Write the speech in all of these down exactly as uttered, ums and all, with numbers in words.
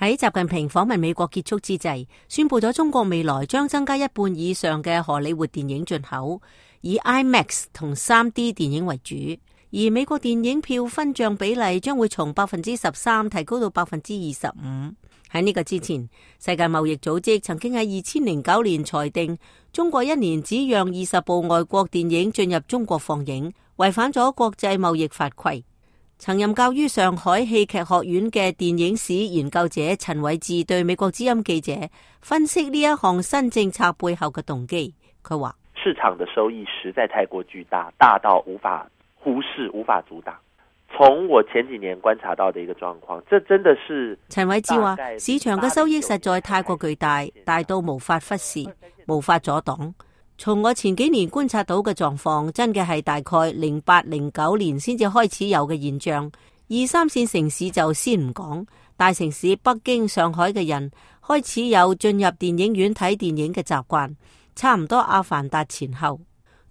喺習近平訪問美國結束之際，宣布咗中國未來將增加一半以上嘅荷里活電影進口，以 IMAX 同 三 D 電影為主。而美國電影票分賬比例將會從百分之十三提高到百分之二十五。喺呢個之前，世界貿易組織曾經喺二千零九年裁定，中國一年只讓二十部外國電影進入中國放映，違反咗國際貿易法規。曾任教於上海戲劇學院嘅電影史研究者陳偉智對美國之音記者分析呢一項新政策背後嘅動機。佢話：市場的收益實在太過巨大，大到無法忽視、無法阻擋。從我前幾年觀察到的一個狀況，這真的是陳偉智話，市場嘅收益實在太過巨大，大到無法忽視、無法阻擋。從我前幾年觀察到嘅狀況，真嘅係大概零八零九年先至開始有嘅現象。二三線城市就先唔講，大城市北京、上海嘅人開始有進入電影院睇電影嘅習慣，差唔多阿凡達前後。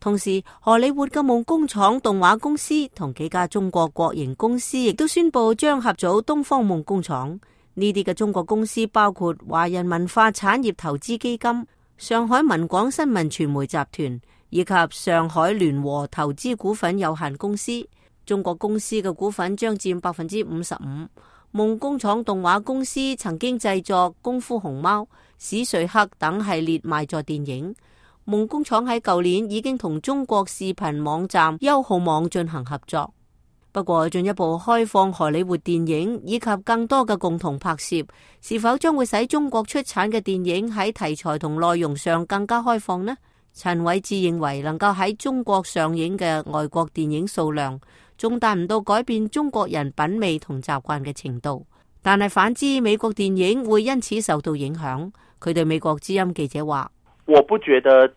同時，荷里活嘅夢工廠動畫公司同幾家中國國營公司亦都宣布將合組東方夢工廠。呢啲嘅中國公司包括華人文化產業投資基金、上海文廣新聞傳媒集團以及上海聯和投資股份有限公司。中國公司嘅股份將佔百分之五十五。夢工廠動畫公司曾經製作《功夫熊貓》、《史瑞克》等系列賣座電影。夢工廠喺舊年已經同中國視頻網站優酷網進行合作。不過，進一步開放荷里活電影以及更多嘅共同拍攝，是否將會使中國出產嘅電影喺題材同內容上更加開放呢？陳偉智認為，能夠喺中國上映嘅外國電影數量，仲達唔到改變中國人品味同習慣嘅程度。但係反之，美國電影會因此受到影響。佢對美國之音記者話：我不覺得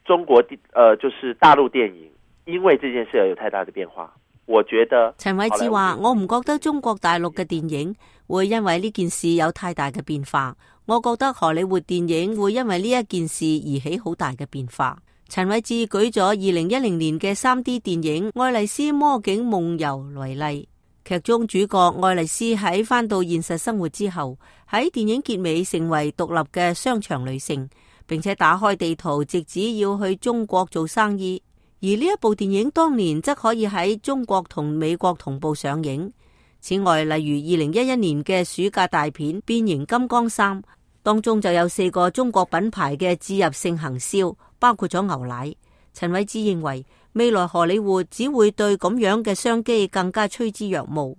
中國電，呃，就是大陸電影，因為這件事有太大的變化。我覺得陳偉智話：我唔覺得中國大陸嘅電影會因為呢件事有太大嘅變化。我覺得荷里活電影會因為呢一件事而起好大嘅變化。陳偉智舉咗二零一零年嘅 三 D 電影《愛麗絲魔境夢遊》為例，劇中主角愛麗絲喺返到現實生活之後，喺電影結尾成為獨立嘅商場女性，並且打開地圖，直指要去中國做生意。而呢一部電影當年則可以喺中國同美國同步上映。此外，例如二零一一年嘅暑假大片《變形金剛三》，當中就有四個中國品牌嘅置入性行銷，包括咗牛奶。陳偉智認為，未來荷里活只會對咁樣嘅商機更加趨之若鶩。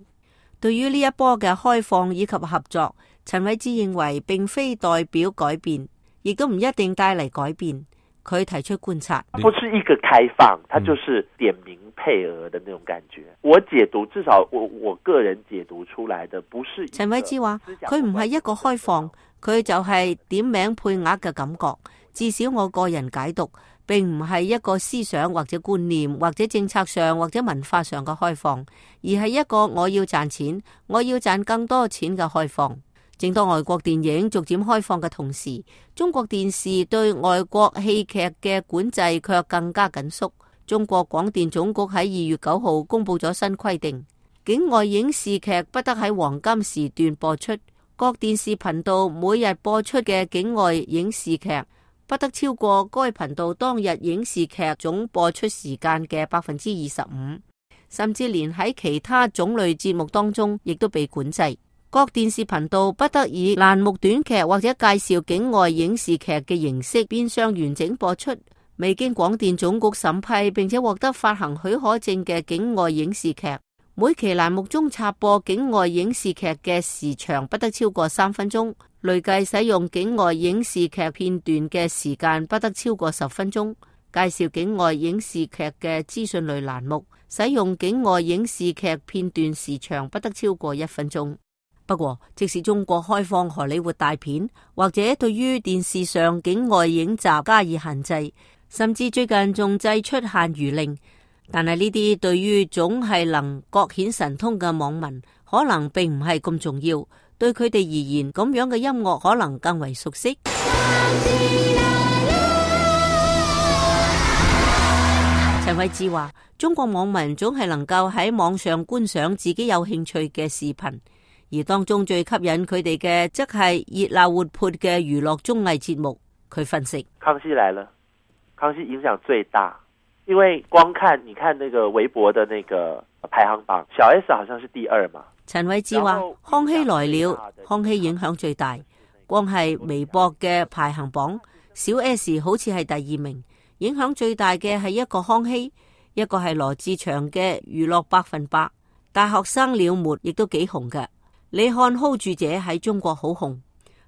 對於呢一波嘅開放以及合作，陳偉智認為並非代表改變，亦都唔一定帶嚟改變。佢提出觀察，不是一個開放，它就是點名配額的那種感覺。我解讀，至少我我個人解讀出來的，不是。陳偉智話，佢唔係一個開放，佢就係點名配額嘅感覺。至少我個人解讀，並唔係一個思想或者觀念或者政策上或者文化上嘅開放，而係一個我要賺錢，我要賺更多錢嘅開放。正當外國電影逐漸開放嘅同時，中國電視對外國戲劇嘅管制卻更加緊縮。中國廣電總局喺二月九號公布咗新規定，境外影視劇不得喺黃金時段播出，各電視頻道每日播出嘅境外影視劇不得超過該頻道當日影視劇總播出時間嘅百分之二十五，甚至連喺其他種類節目當中亦都被管制。各電視頻道不得以欄目短劇或者介紹境外影視劇嘅形式變相完整播出。未經廣電總局審批並且獲得發行許可證嘅境外影視劇，每期欄目中插播境外影視劇嘅時長不得超過三分鐘，累計使用境外影視劇片段嘅時間不得超過十分鐘。介紹境外影視劇嘅資訊類欄目，使用境外影視劇片段時長不得超過一分鐘。不過，即使中國開放荷里活大片，或者對於電視上境外影集加以限制，甚至最近仲制出限娛令，但係呢啲對於總係能各顯神通嘅網民，可能並唔係咁重要。對佢哋而言，咁樣嘅音樂可能更為熟悉。陳偉智話：中國網民總係能夠喺網上觀賞自己有興趣嘅視頻。而當中最吸引佢哋嘅，則係熱鬧活潑嘅娛樂綜藝節目。佢分析：康熙來了，康熙影響最大，因為光看你看那個微博的那個排行榜，小 S 好像是第二嘛。陳偉志話：康熙來了，康熙影響最大，光係微博嘅排行榜，小 S 好似係第二名，影響最大嘅係一個康熙，一個係羅志祥嘅娛樂百分百，大學生了沒亦都幾紅嘅。你看 hold 住者喺中國好紅，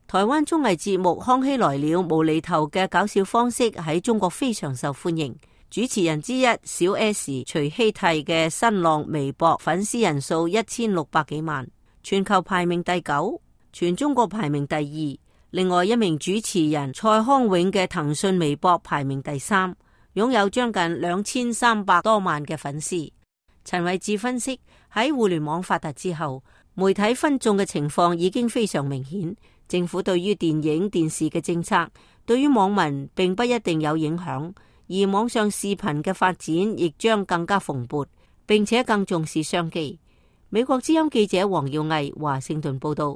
台灣綜藝節目《康熙來了》無厘頭嘅搞笑方式喺中國非常受歡迎。主持人之一小 S 徐熙娣嘅新浪微博粉絲人數一千六百幾萬，全球排名第九，全中國排名第二。另外一名主持人蔡康永嘅騰訊微博排名第三，擁有將近兩千三百多萬嘅粉絲。陳偉志分析，喺互聯網發達之後，媒體分眾嘅情況已經非常明顯，政府對於電影電視嘅政策對於網民並不一定有影響，而網上視頻嘅發展亦將更加蓬勃，並且更重視商機。美國之音記者黃耀毅華盛頓報道。